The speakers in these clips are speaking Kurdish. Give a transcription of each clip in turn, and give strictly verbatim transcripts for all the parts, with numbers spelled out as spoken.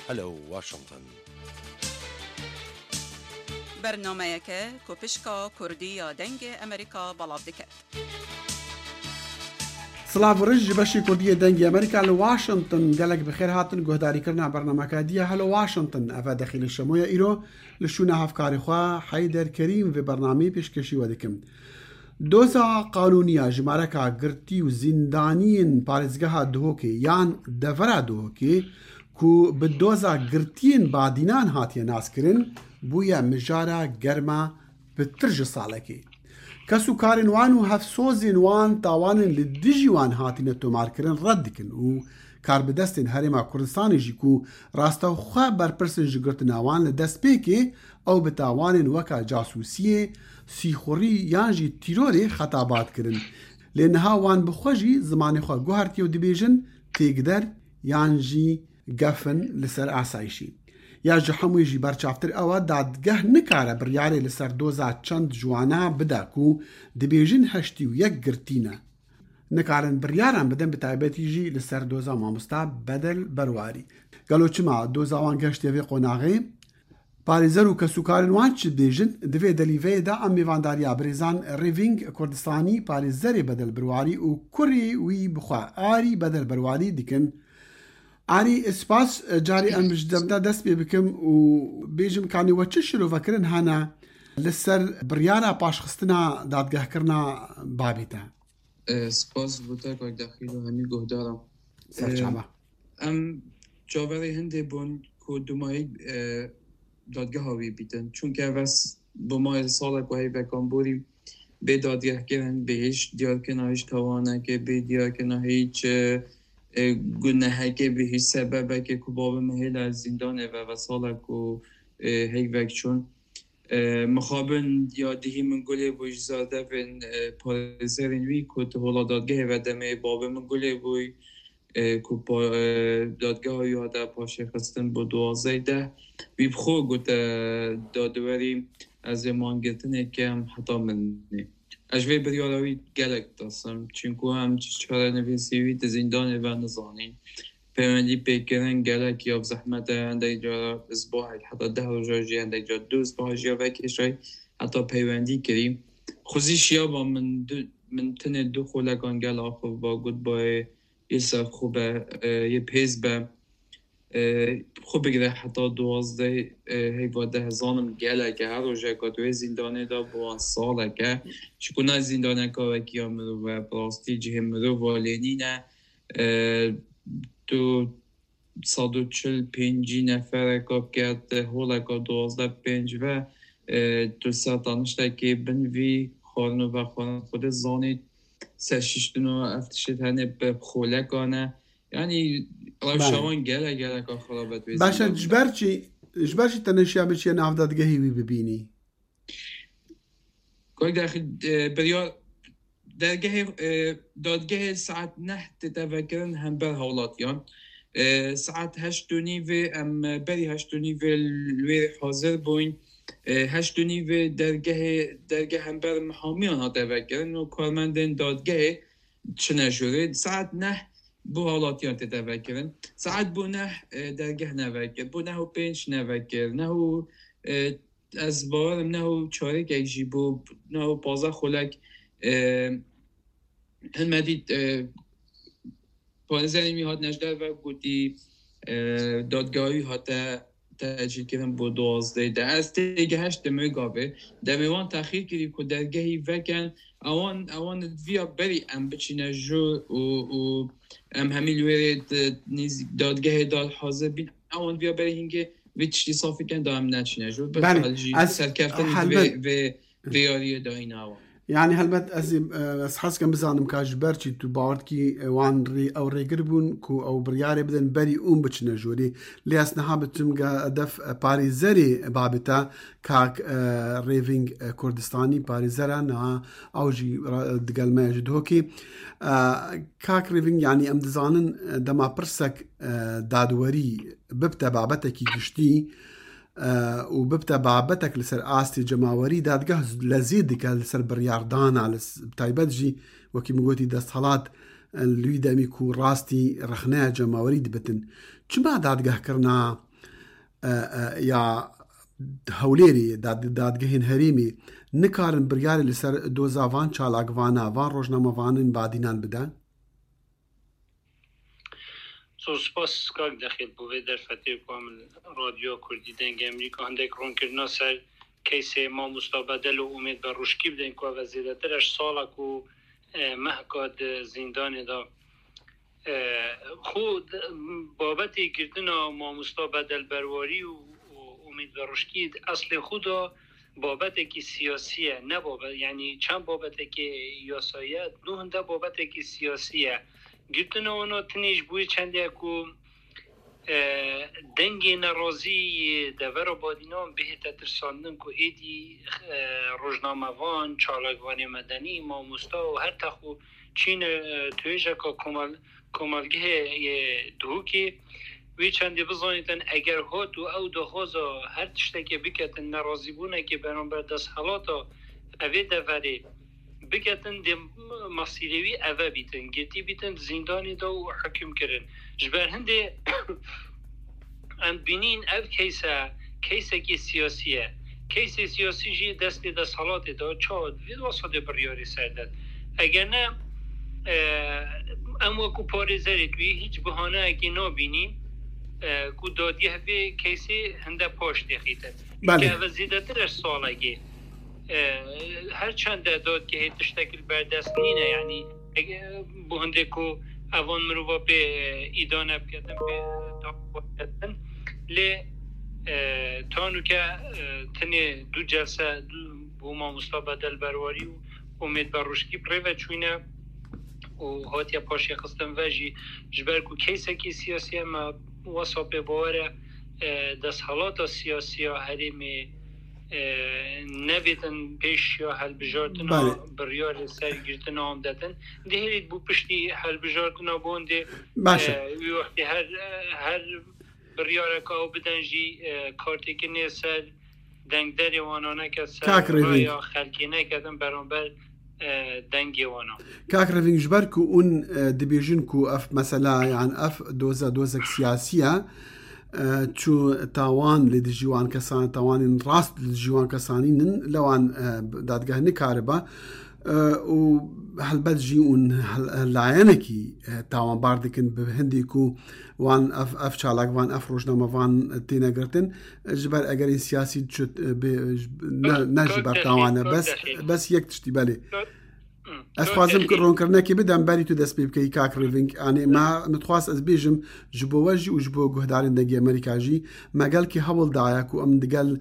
Hello Washington. Bernameyeke ku pişka Kurdî ya Dengê Amerîka belav diket. Silav û rij ji beşê Kurdî yê Dengê Amerîka li Washington, gelek bi xêr hatin guhdarîkirina bernameka dî ya Hello Washington. Ev e dexî li şemoya îro li şûna hevkarê xwe Heyder Kerîm vê bernameyê pêşkêşî we dikim. Doza qanûniya jimareka girtî û zîndaniyên parêzgeha Duhokê yan devera Duhokê ku bi doza girtiyên badînan hatiye naskirin, bûye mijara germa pitir ji salekê. Kes û karên wan û hevsozên wan tawanên li dijî wan hatine tomarkirin red dikin û karbidestên Herêma Kurdistanê jî ku rastewxwe berpirs in ji girtina wan li destpêkê, ew bi tawanên weka casûsiyê, sîxurî yan jî tîrorê xetabat kirin. Lê niha wan bi xwe jî zimanê xwe guhertiye û dibêjin têkder yan jî gef in li ser asayîşî. Ya ji hemûyê jî berçavtir ew e, dadgeh nikare biryarê li ser doza çend ji wana bide ku dibêjin heştê û yek girtî ne. Nikarin biryaran bidin, bi taybetî jî li ser doza mamosta Bedel Berwarî. Gelo çima doza wan gehiştiye vê qonaxê? Parêzer û kesûkarên wan çi dibêjin? Di vê delîveyê de em mêvandariya birêzan Rêvîng Kurdistanî, parêzerê Bedel Berwarî û kurê wî bi xwe Arî Bedel Berwarî dikin. Arî, spas, carî em ji dem de dest pê bikim û bêjim, kanî we çi şirovekirin hene li ser biryara paşxistina dadgehkirina babê te? E, spas bo te kak Dexîl û hemî guhdaran. Serçava. Em çaverê hindê bûn ku dumahî e, dadgeha wî bîtin. Çunke ev bi mayê salek û heyvekan borî bê dadgehkirin, bê hîç diyarkirina hîç tawanekê, bê diyarkirina hîç e, e, gunehekê, bê hîç sebebekê ku babê min hêla zîndanê ve ve salek û e, heyvek çûn. E, mixabin ya dihî min gulê bû ji zardevên e, parêzerên wî ku tu hola dadgehê ve demê babê min gulê bû e, ku pa, e, dadgeha wî hate paşê xistin bo duwazdeh deh. Wî bi xwe gote dadwerî ez ê mangirtinê kem heta mirinê. Ez ji vê biryara wî gelek ditirsim. Çinku em çi çarenivîsî wî di zîndanê ve nizanîn. Peywendî pêkirin gelek ya bi zehmet e, hindek cara isbahek heta deh roja jî, hindek cara du isbaha jî ya vekêşay heta peywendî kirî. Xwezî şiyaba min du, min tenê du xolekan gel axivba, gotba yê ser xwe be, e, yê pêz be. E, xwe bigire heta duwazdeh, e, heyva deh zanim gelek e. Her rojeka tu yê zîndanê de bi wan salek e. Çiku ne zîndaneka wekî ya mirov e, bi rastî cihê mirova lê nîne. E, tu sed û çil pêncî nefereka bike, tu holeka duwazdeh pênc ve, e, tu ser taniştekê bin vî xwarin û vexwarin xwe dê zanî, serşiştin û ev tişt hene bi xolekan e. Yanî rewşa Belê. wan gelek geleka xirab e, tu yê Baş e, zîndanê ji de. ber çi, ji ber çi te neşiya biçiye nav dadgehê wî bibînî? Kak Dexîl, e, biryar dergehê, e, dadgehê saet neh tête vekirin hember hawlatiyan. E, saet heşt û nîvê em, e, berî heşt û nîvê li wê hazir bûyn. E, heşt û nîvê dergehê, dergeh hember mihamiyan hate vekirin û karmendên dadgehê çine jûrê. Saet neh bû hawlatiyan tête vekirin. Saet bû neh, e, dergeh nevekir. Bû neh û pênc nevekir. Neh û, e, ez bawerim neh û çarekek jî bû, neh û pazdeh xulek, e, hin me dît, e, parêzerên wî hat neşder ve gotî, e, dadgehî hate tecîlkirin bo duwazdeh de. Ez têgihiştim wê gavê. Demê wan texîr kirî ku dergehî veken, ewan, ewan viya berî em biçîne jûr û, û em hemî li wê rê di nêz-, dadgehê de hazir bîn. Ewan viya berî hingê vê tiştî safî ken da em neçîne jûr. Belê, Bilxal jî ez serkeftin helbet vê, vê, vê yariyê dayîne wan. Yanî helbet ez ê, e, ez hez dikim bizanim ka ji ber çi tu bawer dikî, e, wan rê, ew rêgir bûn ku ew biryarê bidin berî hûn biçine jorê. Lê ez niha biçim ga hedef, e, parêzerê babê te kak, e, Rêvîng, e, Kurdistanî parêzer e, niha ew jî ra-, digel me ye ji Duhokê. E, kak Rêvîng, yanî em dizanin, e, dema pirsek, e, dadwerî bibte babetekî giştî, e, û bibte babetek li ser astê cemawerî, dadgeh lezî dike li ser biryardana, li s-, bi taybet jî wekî min gotî desthilat, e, li wî demî ku rastî rexneya cemawerî dibitin. Çima dadgehkirina e, e, ya Hewlêrê, dad-, dadgehên herêmê nikarin biryarê li ser doza van çalakvana, van rojnamevanên badînan bide? Zor spas kak Dexîl bo vê derfetê ku em li Radyoya Kurdî Dengê Amerîka hindek ronkirina ser keysê mamosta Bedel û Umêd Berruşkî bidin ku ev zêdetir heşt sal e ku, e, mehka di zîndanê de. E, xwe d-, babetê girtina mamosta Bedel Berwarî û, û Umêd Berruşkî di eslê xwe de babetekî siyasî ye, ne babet, yanî çend babetekî yasayî ye, nû hinde babetekî siyasî ye. Girtina wana tinê ji bo wê çendê ye ku, e, dengê nerazî yê devera badînan bihête tirsandin ku êdî, e, rojnamevan, çalakvanê medenî, mamosta û her tex û çîne, e, tuêjeka komal-, komelgehê yê Duhokê. Wê çendê bizanîtin, eger hat û ew daxwaza her tiştekê biketin, nerazîbûnekê beramber desthilata evê deverê biketin, dê mesîrê wî eve bîtin, girtî bîtin, di zîndanê de û hukm kirin. Ji ber hindê em dibînin ev keyse, keysekî siyasî ye. Keysê siyasî jî destê desthilatê de çawa di vê wesa de biryarê ser de. Eger ne, e, em wekû parêzerê wî hîç bihaneyekê nabînîn, e, ku dadgeh vê keysê hinde paş têxîte. Belê. Çunke ev zêdetir ji salekê. E, her çend de dadgehê tiştek li ber dest nîne, yanî, e, bo hindê ku evan mirova pê, e, îdane biketin, pê, e, dawî biketin. Lê, e, ta nûke, e, tenê du celse, du, bo mamosta Bedel Berwarî û Umêd Berruşkî bi rê ve çûyne û hatiye paşê xistin ve jî, ji ber ku keysekî siyasî ye, me wesa pê bawer e, e, desthilata siyasî ya herêmê, e, nebêtin pêş ya helbijartina Belê. biryarê ser girtina wan detin. Dihêlît bû piştî helbijartina wan dê, Baş e. e, wî wextê her, e, her biryareka ew bidin jî, e, kartêkinê ser dengderê wana neket, ser Kak Rêvîng. raya xelkê neketin beramber, e, dengê wana. Kak Rêvîng, ji ber ku hûn, e, dibêjin ku ev mesela, yan ev doza dozek siyasî ye, e, çû tawan li dijî wan kesan, tawanên rast li dijî wan kesanî nin, lewan, e, dadgeh nikaribe, e, û helbet jî hûn hel-, layenekî, e, tawanbar dikin bi hindî ku wan ev, ev çalakvan, ev rojnamevan têne girtin. Ji ber egerên siyasî çi, e, bê, ne, ne ji ber tawan e. Bes, bes yek tiştî, belê. Ez xwazim ku ronkirinekê bidem, berî tu dest pê bikeyî, kak Rêvîng. Yanî me, min dixwast ez bêjim, ji bo we jî û ji bo guhdarên Dengê Amerîka jî, me gelkî hewl daye ku em digel,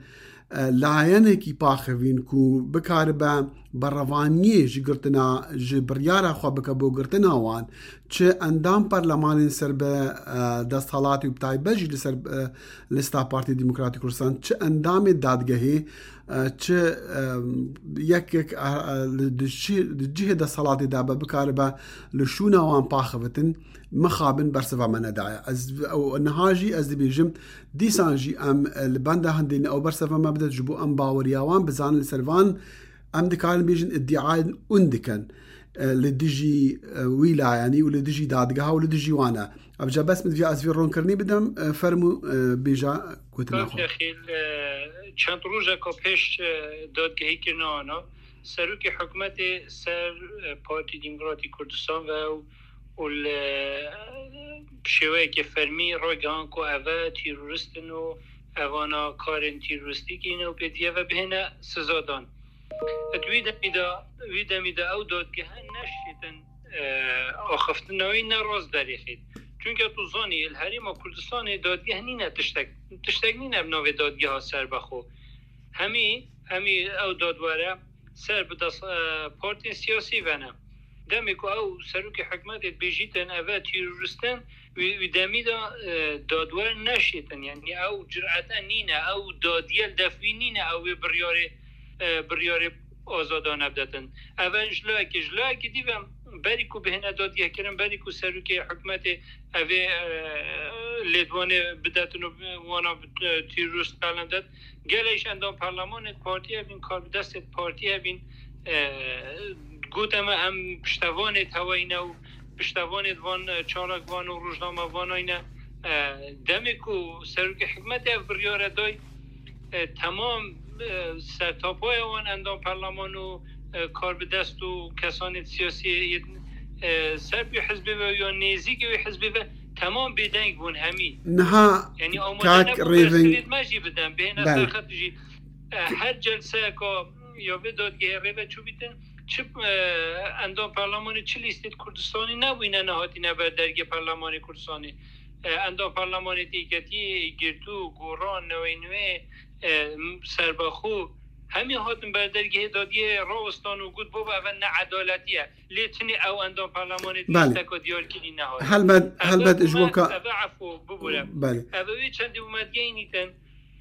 e, layenekî paxivîn ku bikaribe berevaniyê ji girtina, ji biryara xwe bike bo girtina wan, çi endam perlemanên ser bi, e, desthilatî û bi taybet jî li ser, e, lista Partî Demokratî Kurdistan, çi endamê dadgehê, e, çi, e, yek yek, e, e, li di cih-, di cihê desthilatê de be, bikaribe li şûna wan paxivitin, mixabin bersiva me nedaye. Ez, ew niha jî ez dibêjim, dîsan jî em, e, li benda hindê ne ew bersiva me bide, ji bo em baweriya wan bizanin, li ser van em dikarin bêjin, îdîayên hûn dikin, e, li dijî, e, wî layenî û li dijî dadgeha û li dijî wan e. Ev ca bes min divya ez vê ronkirinî bidem, e, fermû, e, bêja gotina xwe. Dexîl, e, çend rojeka pêş, e, dadgehî kirina wana, serokê hikûmetê ser, e, Partî Demokratî Kurdistan ve û, û li, e, şêweyeke fermî ragihan ku ev e terorîst in û evana karên terorîstî kirine û pêdiyê ve bihêne sizadan. Di wî demî de, wî demî de ew dadgehe neşêtin, e, axiftina wî ne rast derêxît. Çunke tu zanî, li Herêma Kurdistanê dadgeh nîne tiştek, tiştek nîne bi navê dadgeha serbexwe. Hemî, hemî ew dadwere ser bi dest, e, partiyên siyasî ve ne. Demê ku ew serokê hikûmetê dibêjîtin, ev e terorîst in, wî, wî demî de, e, dadwer neşêtin. Yanî ew cürete nîne, ew dadiye li def wî nîne, ew ê biryarê, e, biryarê azadane bidetin. Ev e ji layekê, ji layekê dî ve berî ku bihêne dadgehkirin, berî ku serokê hikûmetê ev ê, e, lêdwanê bidetin û wana bi, e, terorîst qelen det, gelek ji endam perlemanê partiyê evîn, karbidestê partiyê evîn, e, gote me em piştevanê teweyne û piştevanê van, e, çalakvan û rojnamevanayne, E, demê ku serokê hikûmetê ev biryare day, e, temam, e, sertapaya wan endam perleman û, e, karbidest û kesanê siyasî yên, e, ser wî hizbê ve ya nêzîkê wî hizbê ve temam bêdeng bûn hemî. Niha Yani amade kak nebûn Rêving bersivêt me jî bidin, bêhne Belê. Serxet jî. E, her celseyeka ya vê dadgehê rê ve çûbîtin, çi, e, endam perlemanê çi lîstêt Kurdistanê nebûyne nehatîne ber dergê perlemanê Kurdistanê. E, endam perlemanê têketiyê, girtû, goran, newê newê, e, serbexû, hemî hatin ber dergehê dadgehê rawestan û got, baba, eve needaletî ye. Lê çinê ew endam perlemanê Belê. Tişteka diyarkirî nehat. Helbet, Eve helbet ji bo me, ka- eve efû bibûre. Belê. Eve wê çendî û me digeynîtin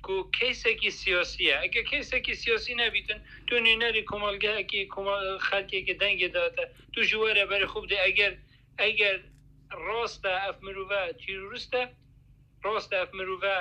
ku keysekî siyasî ye. Eger keysekî siyasî nebîtin, tu nûnerî komelgehekî, koma-, xelkekî dengê date, tu ji were berê xwe bidê. Eger, eger rast e ev mirove terorîst e, rast e ev mirove,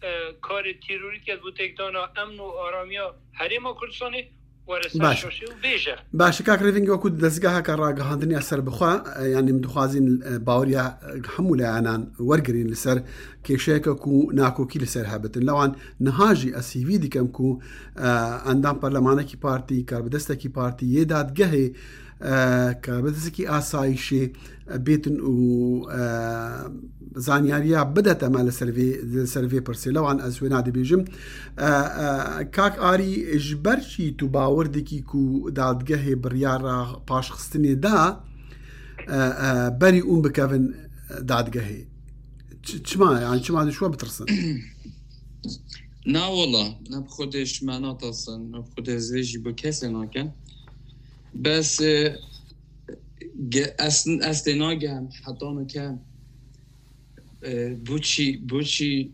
e, karê terorî diket bo têkdana emn û aramiya Herêma Kurdistanê, were ser Baş. Şaşê û bêje. Baş, kak Rêving, wekû dezgeheke ragihandinê serbixwe, e, yanî em dixwazin, e, baweriya, e, hemû layanan wergirin li ser kêşeyeke ku nakokî li ser hebitin. Lewan niha jî ez hîvî dikim ku, e, endam perlemanekî partî, karbidestekî partî yê dadgehê, e, karbidestekî asayişê, e, bêtin û, e, zanyariya bidete me li ser vê, li ser vê pirsê. Lewan ez wêna dibêjim. E, e, kak Arî, ji ber çi tu bawer dikî ku dadgehê biryara paşxistinê da, e, e, berî ûn bikevin dadgehê? Ç-, çima, yani çima dişwa bitirsin? Na wala, ne bi Xwedê ji me natirsin, ne bi Xwedê ez vê jî bi kesê nakim. Bes, e, ge-, ez, ez tê nagehim heta nike, e, boçî, boçî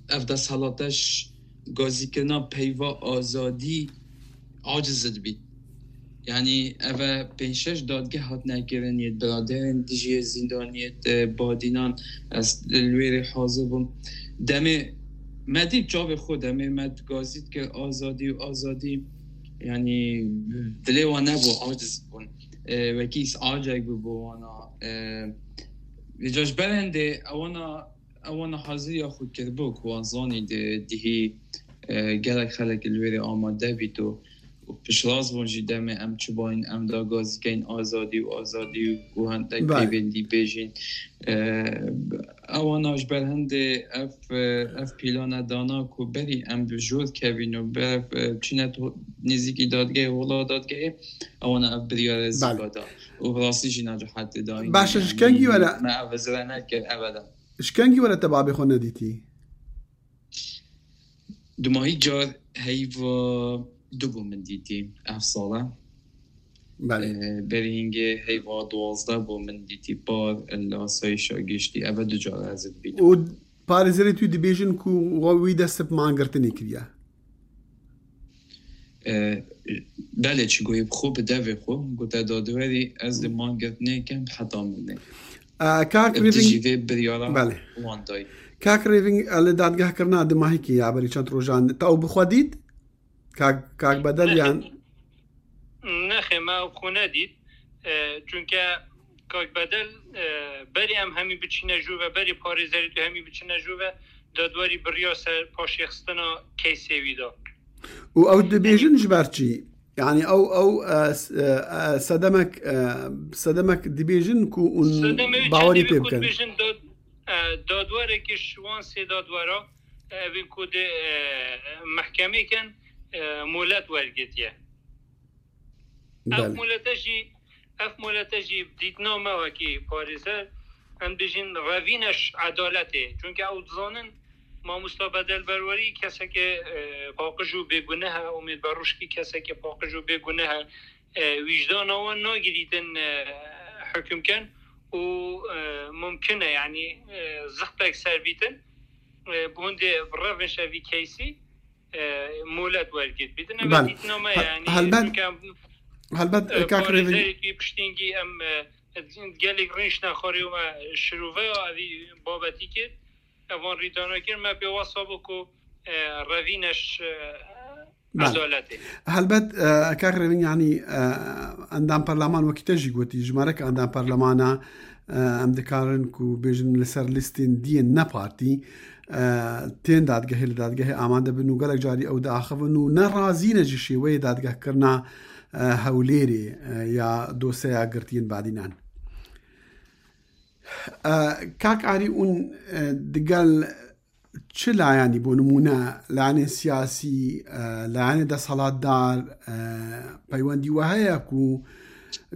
ev desthilate ji gazîkirina peyva azadî aciz dibî. Yanî ev e pênc şeş dadgeh hatine kirin, yê biraderên dijî zîndaniyê, e, badînan, ez li wê rê hazir bûm. Demê me dît çavê xwe, demê me gazî dikir azadî û azadî. Yanî dilê wan nebû, aciz bûn. E, wekî îs'acek bû bo wana. E, vêca ji ber hindê ewana, ewana haziriya xwe kiribû ku wan zanî di dihî, e, gelek xelek li wê rê amade bît û, û piştrast bûn jî demê em çi bayîn, em da gazî keyn azadî û azadî û, û hindek Belê. Peyvendî bêjîn. E, ewana ji ber hindê ev, e, ev pîlane dana ku berî em bi jor kevîn û ber, e, çîne to-, nêzîkî dadgehê, hola dadgehê, ewana ev biryare Belê. Zîka da. Û bi rastî jî nacihetê da. Baş e, ji kengî were? Me ev zire nekir ebeden. Ji kengî were te babê xwe nedîtî? Dumahî car heyva du bû min dîtî ev sala. Belê. Ee, berî hingê heyva duwazdeh bû min dîtî par li asayîşa giştî. Eve du car ez dibînim. Û parêzerê tu dibêjin ku we wî dest bi mangirtinê kiriye? E, belê, çi goyê bi xwe, bi devê xwe, gote dadwerî, ez dê mangirtinê kem heta mirinê. E, kak Rêving, dijî vê biryara Belê. Wan dayî. Kak Rêving, e, li dadgehkirina dimahîkê ya berî çend rojan te ew bi xwe dît? Kak, kak Bedel yan? Nexê, me ew bi xwe nedît. E, çunke Kak Bedel, e, berî em hemî biçîne jû ve, berî parêzerê tu hemî biçine jû ve, dadwerî biriya ser paşêxistina keysê wî da. Û ew dibêjin ji ber çi? Yani ew, ew, e, s-, e, e, sedemek, e, sedemek dibêjin ku hûn Sedemê wî bawerî çendî pê wî ku bikin. Dibêjin dad-, e, dadwerekî ji wan sê dadwera, e, evên ku dê, e, mehkemê kin, e, molet wergirtiye. Ev Belê. Molete jî, ev molete jî dîtina me wekî parêzer, em dibêjin revîne ji edaletê. Çunke ew dizanin mamosta Bedel Berwerî keseke, e, paqij û bêguneh e, Umêd Beruşkî keseke paqij û bêguneh e. E, wîjdana wan nagirîtin, e, hukm ken û, e, mumkin e, yanî, e, zixtek ser bîtin. E, bi hûn dê bi revin şevî keysî. E, molet wergirt bîtin. Ev Belê. Dîtina me He-, ye, yanî helbet, çunke em, helbet, e, e, kak Rêving. Parêzerê wî piştîngî em, e, gelek rînşne xwarê me şirove ya evî babetî kir. Evan rîdana kir, me pê wesa bû ku, e, revîne ji, e, Bel. Edaletê. Helbet, e, kak Rêvîn, yanî, e, endam perleman wekî te jî gotî, jimarek endam perlemana, e, em dikarin ku bêjin li ser listên diyên ne partî, e, tên dadgehê, li dadgehê amade bin û gelek carî ew diaxivin û ne razî ne ji şêweyê dadgehkirina, e, Hewlêrê, e, ya doseya girtiyên badînan. E, kak Arî, hûn, e, digel çi layanî, bo nimûne, layanên siyasî, e, layanê desthilatdar, e, peywendî we heye ku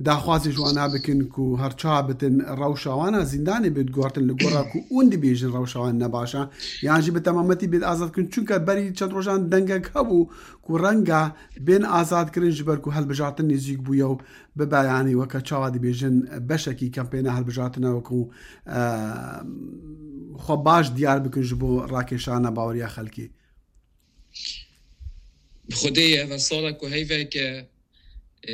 daxwazê ji wana bikin ku her çawa bitin rewşa wana zîndanê bê guhertin, li gora ku hûn dibêjin rewşa wan ne baş e, yan jî bi temametî bê azad kirin? Çunke berî çend rojan dengek hebû ku renga bên azad kirin ji ber ku hilbijartin nêzîk bûye û bibe, yanî weke çawa dibêjin, beşekî kampêna hilbijartina wekû, e, xwe baş diyar bikin ji bo rakêşana baweriya xelkê. Bi Xwedê ye, ev sala ku heyveke, e,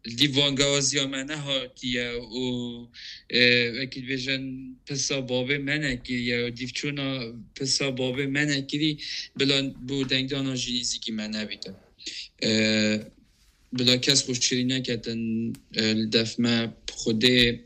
li dîv vangawaziya me nehatiye û, e, wekî dibêjin, pisa babê me nekiriye û dîvçûna pisa babê me nekirî, bila bo dengdana jî nêzîkî me nebîtin. E, Bila kes xwe şirî neketin, e, li def me, bi Xwedê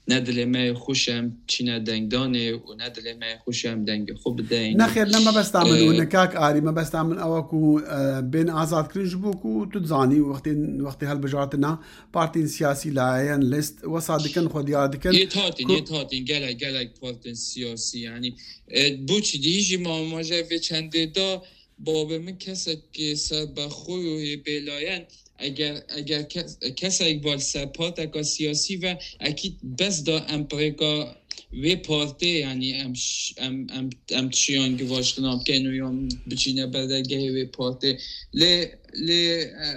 ne dilê me yê xweş e em çîne dengdanê û ne dilê me yê xweş e em dengê xwe bideyn. Nexêr, ne mebesta min û, e, ne kak Arî, mebesta min ew e ku, e, bên azad kirin ji bo ku tu dizanî wextên, wextê hilbijartina partiyên siyasî, layeyan, list, wesa dikin, xwe diyar dikin. Yê hatîn, ku yê hatîn, gelek, gelek partiyên siyasî, yanî, e, bo çi dî jî ma, ma jî vê çendê da, babê min kesek serbexwe û yê bêlayen, eger, eger kes, kesek ba li ser parteka siyasî ve, ekîd bes da em pirêka wê partê, yanî em ş-, em, em, em tişiyan givaştina bikin û yan biçîne berdegehê wê partê. Lê, lê, e,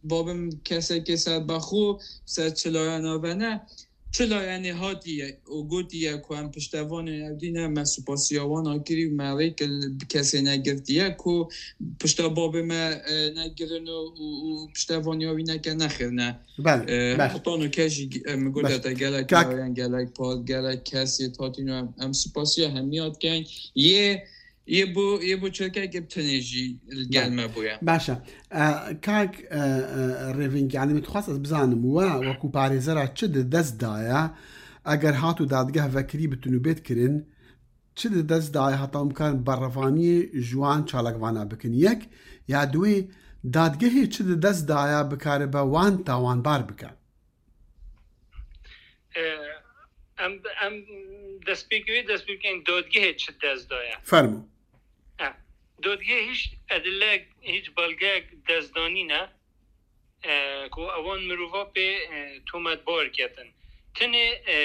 babê min kesekê serbexwe ser çi layena ve ne, çi layenê hatiye û gotiye ku em piştevanên ew dî ne, me supasiya wan a kirî û me rêk li kesê negirtiye ku pişta babê me, e, negirin û, û, û piştevaniya wî neke, nexêr ne. Bel, e, bel. Hetan û kes jî, e, min gote te gelek layen, gelek part, gelek kes yê hatîn û em, em supasiya hemiya dikeyn. Yê Yê bo, yê bo çirkekê bi tenê jî li gel me bûye. Baş e. E, kak, e, e, Rêving, yanî min dixwest ez bizanim, we wekû parêzera çi di dest daye, eger hat û dadgeh vekirî bitin û bêt kirin, çi di dest daye heta hûn bikarin berevaniyê ji wan çalakvana bikin? Yek, ya duwê, dadgehê çi di dest daye bikaribe wan tawanbar bike? E, em, em destpêkê wê destpêkên dadgehê çi dest daye? Fermo. E, dadgehê hiç edilek, hiç belgeyek destdanî ne, e, ku ewan mirova pê, e, tometbar ketin. Tenê, e,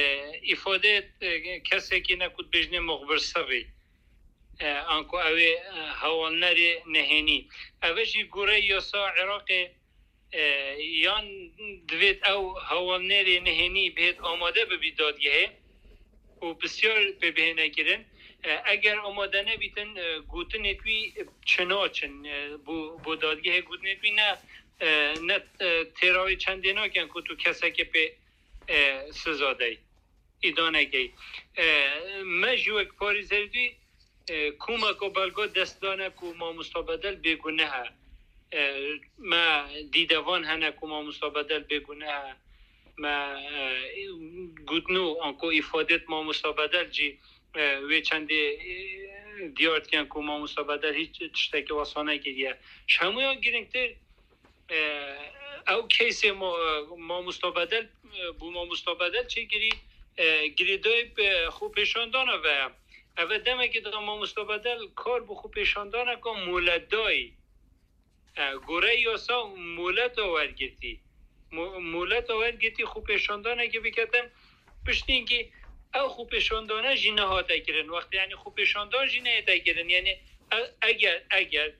îfade, e, kesekî ne ku dibêjinê muxbir sirrî, e, anku ew ê, e, hewalnerê nehênî. Ev e jî goreyê yasa Iraqê, e, yan divêt ew hewalnerê nehênî bihêt amade bibî dadgehê û pisyar pê bihêne kirin. E, eger amade nebîtin, e, gotinê wî çi naçin, e, bo, bo dadgehê gotinê wî ne, e, ne, e, têra wê çendê nakin ku tu kesekê pê, e, siza dey, îdane key. E, me jî wek parêzerî, e, komeka belga dest dane ku mamosta Bedel bêguneh e. E, me dîdevan hene ku mamosta Bedel bêguneh e. Me, e, gotino anku îfadêt mamosta Bedel jî, e, wê çendê, e, diyar dikin ku mamosta Bedel hiç tiştekî wesa nekiriye. Ji hemûyan girîngtir, e, ew keysê mo-, mamosta Bedel, e, bû mamosta Bedel çêkirî, e, girêdayî, e, xwepêşandana ve ye. Ev e demekê da mamosta Bedel kar bi xwepêşandaneka moletdayî. E, goreyê yasa moleta wergirtî. Mo-, moleta wergirtî xwepêşandanekê biketin, piştînkî ew xwepêşandane jî nehate kirin. Wextê, yanî, xwepêşandan jî nehête kirin. Yanî, e-, eger, eger,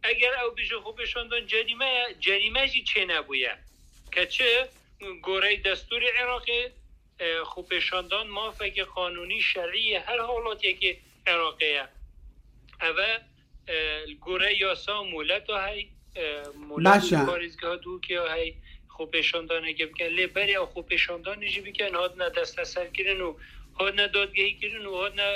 eger ew bêje xwepêşandan cerîme ye, cerîme jî çênebûye. Ke çi? Goreyê destûrê Iraqê, e, xwepêşandan mafekê qanûnî, şerî yê her halatekê Iraqê ye. Ev e, e, li gore yasa moleta hey, e, molet Baş e. Parêzgeha Dûkê ya hey, xwepêşandaneke bikin. Lê berê ew xwepêşandanê jî bikin, hatine desteserkirin û hatine dadgehî kirin û hatine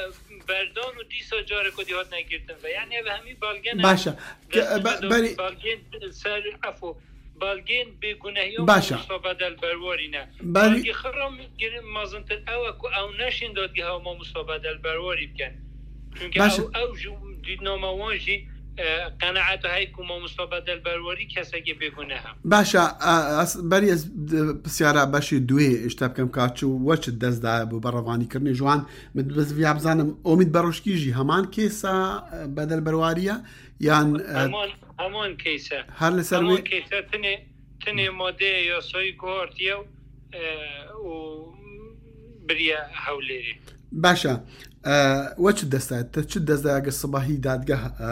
berdan û dîsa careke dî hatine girtin ve. Yani ev hemî balgene Baş e. Ke-, destûrê be-, dadgehî, berî balgên ser, efo, balgên bêgunehiya Baş e. Mamosta Bedel Berwarî ne. Berî Balgê xwe re min kirin mezintir ew e ku ew neşên dadgeha Mamosta Bedel Berwarî bikin. Çünkü Baş e. ew, ew ji dîtnama wan jî, e, qenaeta heye ku Mamosta Bedel Berwarî kesekê bêguneh e. Baş e, e, ez, berî ez, e, pisyara beşê duê ji te bikim ka çi we çi dest daye bo berevanîkirinê ji wan. Min bi vîya bizanim Omîd Beroşkî jî heman kêsa, e, Bedel Berwarî ye yan, e, Heman, heman kêse. Her li ser Heman wê kêse tinê, tinê madeyê yasayî guhartiye û, e, û biriye Hewlêrê. Baş e. E, we çi dest daye? Te çi dest daye eger sibahî dadgeh, e,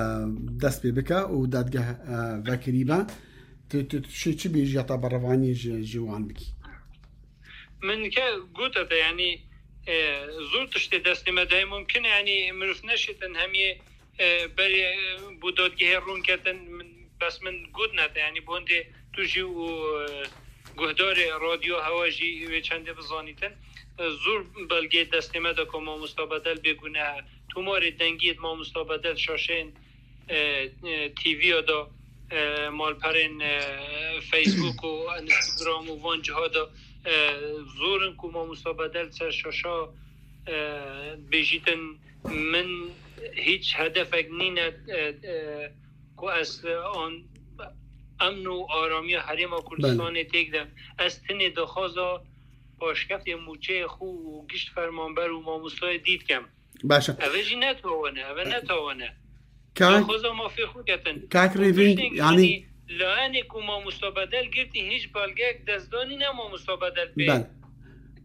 dest pê bike û dadgeh, e, vekirî be? Tu, tu, tu çi, çi bêjî heta berevanî ji, ji wan bikî? Min ke gote te, yanî, e, zor tiştê destê me de heye. Mumkin e, yanî, mirov neşêtin hemiyê, e, berê, e, bo dadgehê rûn ketin. Min, bes min gotine te, yanî, bo hindê tu jî û, e, guhdarê radyo hewa jî wê çendê bizanîtin. E, zor belgeyê destê me de ku Mamosta Bedel bêgune, tomarê dengiyê Mamosta Bedel şaşeyên e, e, T V ya da, e, malperên, e, Facebook û Instagram û van ciha da, e, zor in ku Mamosta Bedel ser şaşa, e, bêjîtin, min hîç hedefek nîne, e, e, ku ez, e, an, emn û aramiya Herêma Kurdistanê têk de. Ez tinê daxwaza paşkefê mûçeyê xwe û gişt fermanber û mamostayê dî dikem. Baş e. Eve jî ne tawane, eve ne tawane. Kak, Daxwaza mafê xwe ketin. Kak Û Rêvîn, tiştên, yanî, yanî, layene ku Mamosta Bedel girtî, hîç belgeyek destdanî ne Mamosta Bedel pê, Bel.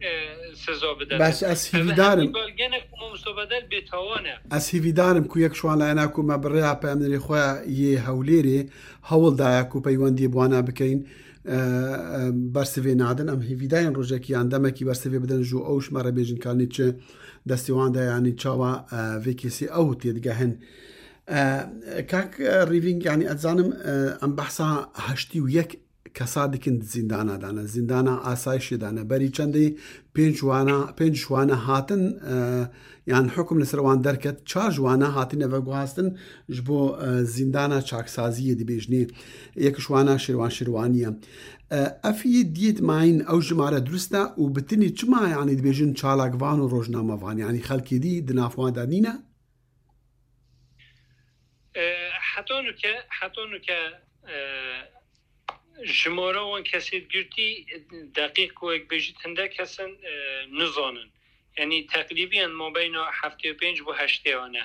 e, siza bide. Baş, ez Eve hîvîdar im. hemî belgene ku Mamosta Bedel bêtawane. Ez hîvîdar im ku yek ji wan layena ku me bi rêya peyamnêrê xwe yê Hewlêrê hewl daye ku peywendiyê bi wana bikeyin. E, e, bersivê nadin. Em hêvîdayên rojekî yan demekî bersivê bidin ji ew ji me re bêjin kanî çi destê wan de, yanî çawa, e, vê kesî ew têdigehin. E, kak, e, Rîvîng, yanî ez zanim, e, em behsa heştî û yek kesa dikin di zîndana de ne, zîndana asayişê de ne. Berî çendê pênc wana, pênc ji wana hatin, e, yan hukum li ser wan derket, çar ji wana hatine veguhastin ji bo, e, zîndana çaksaziyê dibêjinê. Yek ji wana Şêrwan Şêrwanî ye. E, ev yê diyêt mayîn ew jimare durist e û bi tinî çima, yanî, dibêjin çalakvan û rojnamevan, yanî xelkê dî di nav wan de nîne? E, heta nuke, heta nuke, e, jimara wan kesê girtî deqîq ku wek bêjî hindek kes in, e, nizanin. Yanî teqrîbiyen mabeyna heftê û pênc bo heştê ane.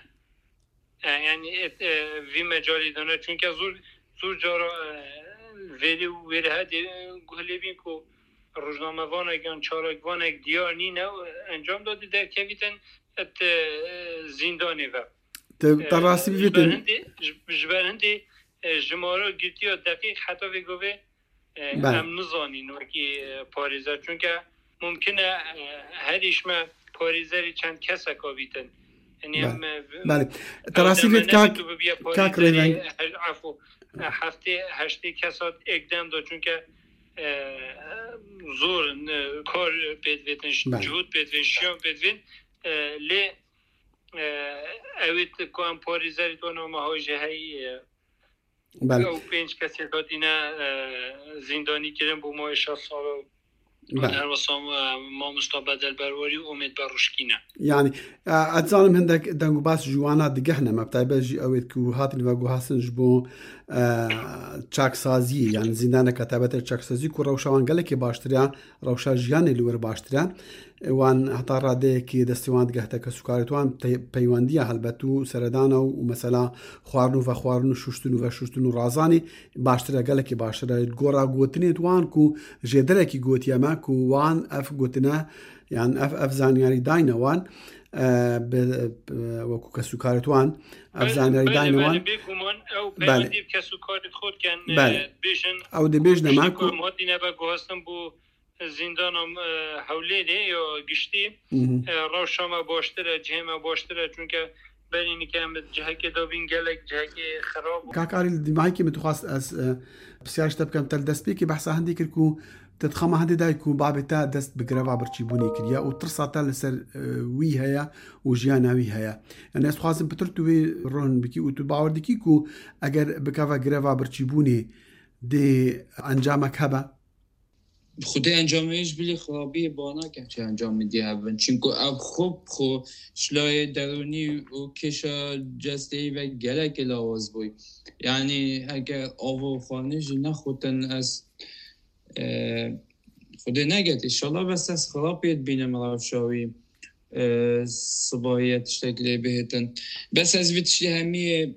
E, yanî, e, e, vî mecalî de ne. Çunke zor, zor cara, e, verî û wêrehedê, e, guh lê bîn ku rojnamevanek yan çalakvanek diyar nîne, e, encam da dî derkevîtin et, e, zîndanê ve. Te, te E, rastî ji ber bivêtin. hindê, ji, ji ber hindê, e, jimara girtiya deqîq heta vê govê, e, Bel. em nizanîn wekî, e, parêzer. Çunke mumkin e, e, herî ji me parêzerî çend keseka bîtin. Yanî Bel. em, e, Belê. Te ew rastî deme vêt nebe kak, tu bibiye kak parêzerî Rêveng. he-, efo, e, heftê, heştê kesa êk dem de. Çunke, e, zor in, e, kar pê divêtin, Bel. cihûd pê divên, şiyan pê divên. E, lê, e, ew ê ku em parêzerî dona me hoj jî heyî, e, Bel. ew pênc kesê hatine, e, zîndanî kirin bo mawê şeş sal û Bel. her wisa, e, mamosta Bedel Berwarî û Omêd Beruşkî ne. Yanî, e, ez zanim hindek deng û bas ji wana digehne me, bi taybet jî ew ê ku hatin veguhastin ji bo, e, çaksaziyê, yanî zîndaneke taybet e çaksazî ku rewşa wan gelekê baştir e, rewşa jiyanê li wir baştir e. Wan heta radeyekê destê wan digehte kesûkarê wan te-, peywendiya helbet û seredana û, û mesela xwarin û vexwarin û şuştin û veşuştin û razanê baştir e, gelekî baştir e. Li gora gotinê wan ku jêderekî gotiye me ku wan ev gotine, yan ev, ev zanyarî dayne wan, e, bi, bi, wekû kesûkarê wan, ev Belê, zanyarî belê, dayne belê, wan. Bêguman ew Belê. peywendî bi kesûkarê xwe dikin, e, Belê. dibêjin, Ew dibêjne me tiştê ku ku em hatine veguhastin bo zîndana, e, Hewlêrê ya giştî, Mhm. e, rewşa me baştir e, cihê me baştir e, çunke berî nike em di cihekê de bîn, gelek cihekê xirab bû. Kak Arî, li dîmahekê min dixwast ez, e, pisyar ji te bikim, te li destpêkê behsa hindê kir ku Te dixama hindê dayî ku babê te dest bi greva birçîbûnê kiriye û tirsa te li ser, e, wî heye û jiyana wî heye. Yani ez dixwazim pitir tu wê ron bikî û tu bawer dikî ku eger bikeve greva birçîbûnê dê encamek hebe? Xwedê encamê ji bilî xirabiyê ba nakin çi encamê dî hebin. Çimku ev xwe bi xwe ji layê derûnî û kêşa cesteyî ve gelekê lawaz bûy. Yani heke av û xwarinê jî nexwetin ez, e, Xwedê neket. Înşallah bes ez xirabiyê dibînim rewşa wî, e, sibahiye tiştek lê bihêtin. Bes ez vî tiştî hemiyê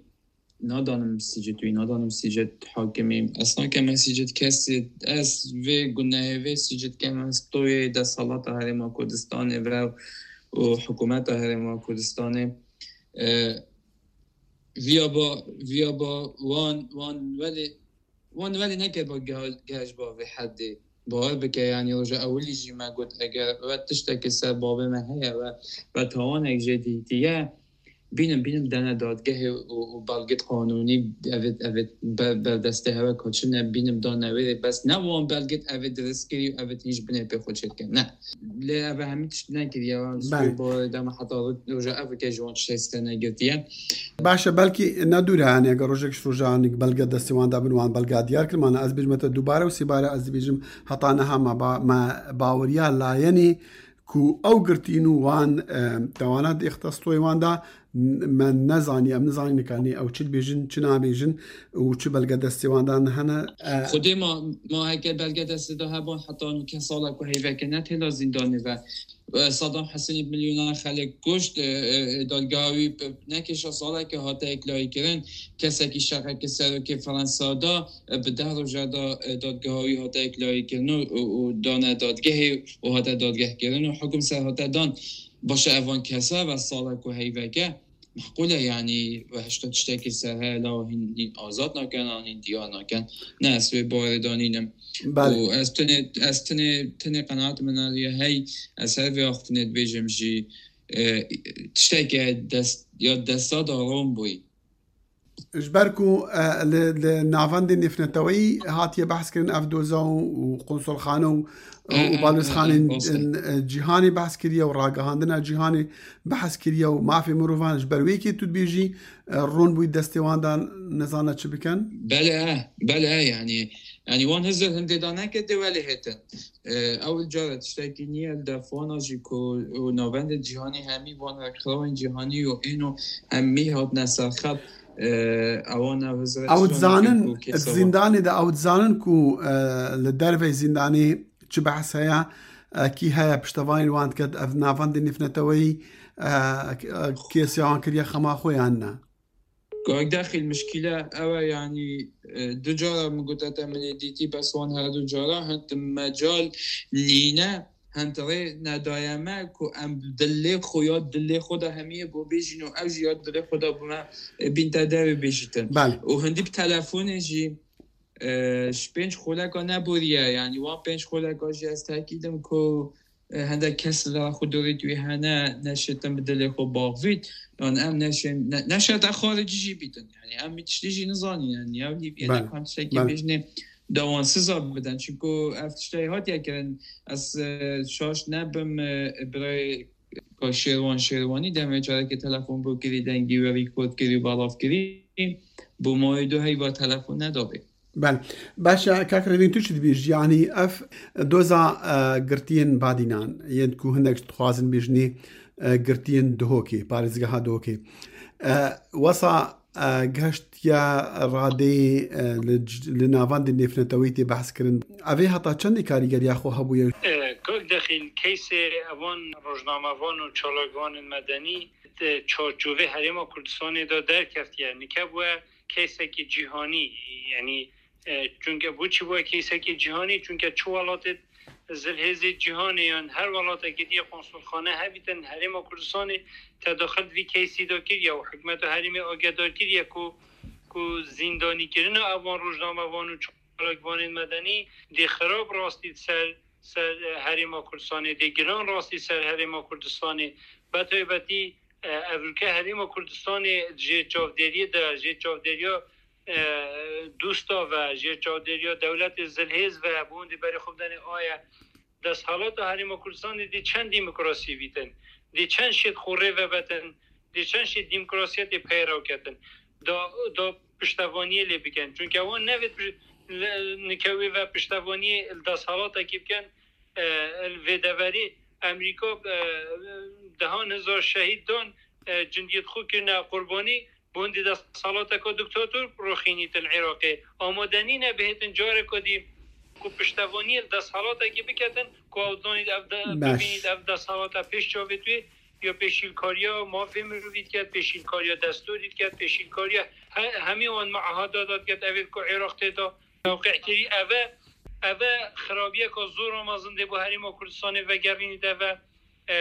nadanim sicit wî, nadanim sicit hakimî. Ez nakeme sicit kesî, ez vê gunehê vê sicit kem, ez toyê desthilata Herêma Kurdistanê ve û hikûmeta Herêma Kurdistanê. E, viya ba, viya ba wan, wan welê, wan welê neke ba ge-, geh ji ba vê heddê. Bawer bike, yanî roja ewilî jî me got, eger we tiştekî ser bavê me heye, we, we tawanek jê dîtiye, bînim, bînim dene dadgehê û, û belgê qanûnî evê, evê ber, berdestê hewe kaçine, bînim dane wê rê. Bes ne wan belgê evê dirist kirî û evê hîn ji binê pê xwe çêdikin. Ne. Lê ev hemî tişt nekiriye. Belê. Sibê bawerê dema heta roja ev ke ji wan tiştek ser negirtiye. Baş e, belkî ne dûr e, yani eger rojek ji roja, yani belge destê wan de bin, wan belge diyar kir, mana ez bêjim te dubare û sêbare ez dibêjim heta niha me ba-, me baweriya layenê ku ew girtîn û wan, e, tewana di îxtisastoyê wan de n-, me nezaniye, em nizanî nikanî ew çi dibêjin, çi nabêjin û çi belge destê wan de hene. E, Xwedê ma, ma heke belge destê de hebûn heta nûke sala ku heyveke ne têla zîndanê ve. E, Saddam Husênî milyona xelek kuşt, e, e, dadgeha wî bi nekêşa saleke hate yeklayîkirin. Kesekî şeqeke serokê Fransa da, e, bi deh roja da, e, dadgeha wî hate yeklayîkirin û, û, û dane dadgehê û hate dadgehkirin û hukum ser hate dan. Baş e, evan kesa ve sala ku heyveke, meqûl e, yanî we hişta tiştekî ser heye, law hîn, hîn azad nakin, an hîn diyar nakin. Ne, ez wê bawerê danînim. Belê. Û ez tenê, ez tenê, tenê qenaet min a ye hey, ez her vê axiftinê dibêjim jî, e, tişteke dest, ya desta daron bûyî. Ji ber ku, e, li, li navendê nêvneteweyî hatiye behs kirin ev doza û, û konsolxane û, û, û balozxanên, e, cîhanê behs kiriye û ragihandina cîhanê behs kiriye û mafê mirovan, ji ber wê yekê tu dibêjî, e, ron bûyî destê wan de nizane çi bikin? Belê, belê, yani, yani wan hizir hindê de neke dê welê hêtin. E, ew cara tiştekî nîye li def wana jî ku û navendê cîhanî hemî van rêkxirawên cîhanî û êno hemî hatine serxet, e, ewan ev hizir Ew dizanin, ku kêsa zîndanê de ew dizanin ku, e, li dervey zîndanê çi behs heye, e, kî heye piştevanî li wan diket, ev navendê nêvneteweyî, e, e, kêsiya wan kiriye xema xwe yan ne? Kak Dexîl, mişkîle ew e, yanî, e, du cara min gote te min ê dîtî, bes wan her du cara hin mecal nîne, hin rê nedaye me ku em dilê xwe ya dilê xwe de hemiyê bo bêjîn û ew jî ya dilê xwe de bo me, e, bîn te derê bêjîtin. Belê. Û hindî bi telefonê jî, e, ji pênc xoleka neboriye, yanî wan pênc xoleka jî ez tekîdim ku e, hindek kes li xwe dorê wî hene, neşêtin bi dilê xwe baxvît, yan em neşên, ne-, neşete xaricî jî bîtin. Yani em wî tiştî jî nizanîn, yani ya Lîbyê Belê, ne kan tiştekî belê. bêjinê dawansiza bidin. Çimku ev tiştê hatiye kirin, ez, e, şaş nebim, e, birayê ka Şêrwan Şêrwanî demê carekê telefon bû kirî, dengî we rîkord kirî, belav kirî, bo mayê du heyva telefon nedabê. Belê. Baş e, kak Revîn, tu çi dibêjî? Yanî ev doza, e, girtiyên badînan, yên ku hinek dixwazin bêjinê, e, girtiyên Duhokê, parêzgeha Duhokê. E, wesa, e, gehiştiye radeyê, e, li c-, li navendê nêvneteweyî tê behs kirin. Ev ê heta çendê karîgeriya xwe hebûye? E, Kak Dexîl, keysê evan rojnamevan û çalakvanên medenî di çarçovê Herêma Kurdistanê de derkeftiye. Nike bûye keysekî cîhanî, yanî, e, çunke bo çi bûye keysekî cîhanî? Çunke çi welatê zilhêzê cîhanê yan her welatekî dî konsulxane hebîtin, Herêma Kurdistanê tedaxil vî keysî de kiriye û hikûmeta herêmê agedar kiriye ku, ku zîndanîkirina evan rojnamevan û çalakvanên medenî dê xirab rastî ser, ser, e, Herêma Kurdistanê, dê giran rastî ser Herêma Kurdistanê. Be taybetî, e, ev ülke Herêma Kurdistanê jê çavdêriyê de, jê çavdêriya, e, dûsta ve, jê çavdêriya dewletê zilhêz ve, bi hûn dî berê xwe bidenê aye. Desthelata Herêma Kurdistanê dê çend demokrasiyê bîtin, dê çend şêt xwe rê vebetin, dê çend şêt demokrasiyetê peyra ketin. Da, da piştevaniyê lê bikin. Çunke wan nevêt piş-, le-, nikewê ve piştevaniyê li desthelatekê bikin. E, vê deverî Amerîka, e, dehan hezar şehîd dan, e, cindiyêt xwe kirine qurbanî, bi hindî desthilateke diktator rûxînîtin Iraqê. Amade nîne bihêtin careke dî ku piştevaniyê li desthilatekî biketin, ku ew zanît ev de, Baş. bibînît ev desthilata pêş çavê wê, ya pêşîlkariya mafê mirovî diket, pêşîlkariya destûrî diket, pêşîlkariya he-, hemî wan meahada da diket, evê ku Iraq tê de tewqî kirî. Eve, eve xirabiyeka zor a mezin dê bo Herêma Kurdistanê vegerînît eve. E,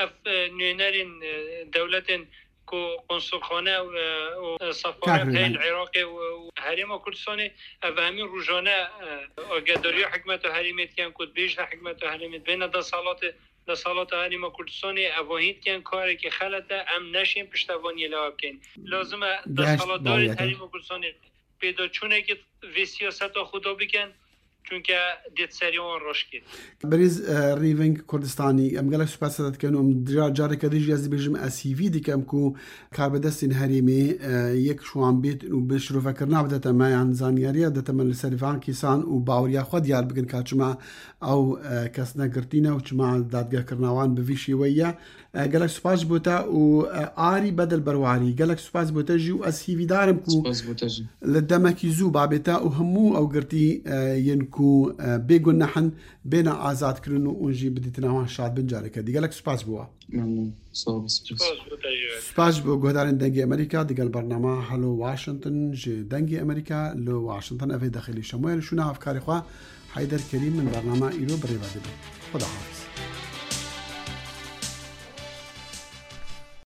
ev, e, nûnerên, e, dewletên ku konsulxane, e, û, e, sefaret Kar heyl hikmet. Iraqê û, û Herêma Kurdistanê, ev hemî rojane, e, agedariya hikmeta herêmê dikin ku dibêjin hikmeta herêmê dibêne desthilatê, desthelata Herêma Kurdistanê, ev hîn dikin karekî xelet e, em neşên piştevaniyê li bikin. Lazim e Geşt desthilatdarên bawiyete. Herêma Kurdistanê pêdaçûnekê vê siyaseta xwe da bikin, çunke dê di serê wan reş kê. Birêz, e, Rîving Kurdistanî, em gelek spas te dikin û em ca-, careke din jî ez dibêjim, ez hîvî dikim ku karbidestên herêmê, e, yek ji wan bêt û bi şirovekirina bidete me, yan zanyariya bidete me li ser van kîsan û baweriya xwe diyar bikin ka çima ew, e, kes ne girtî ne û çima dadgehkirina wan bi vî şêweyî ye. E, gelek spas ji bo te û, e, Arî Bedel Berwarî. Gelek spas bo te jî û ez hîvîdar im ku Spas bo te jî. Li demekî zû babê te û hemû ew girtî, e, yên ku, e, bêguneh in, bêne azadkirin û hûn jî bi dîtina wan şad bin careke dî. Gelek spas bo we. Memnun. Sağ ol. Spas. Spas bo te jî. Spas ji bo guhdarên Dengê Amerîka digel bernama Hello Washington ji Dengê Amerîka li Washington. Evê dexilî şemoyê li şûna hevkarê xwe Heyder Kerîm min bernama îro bi rê ve dibin. Xuda hafiz.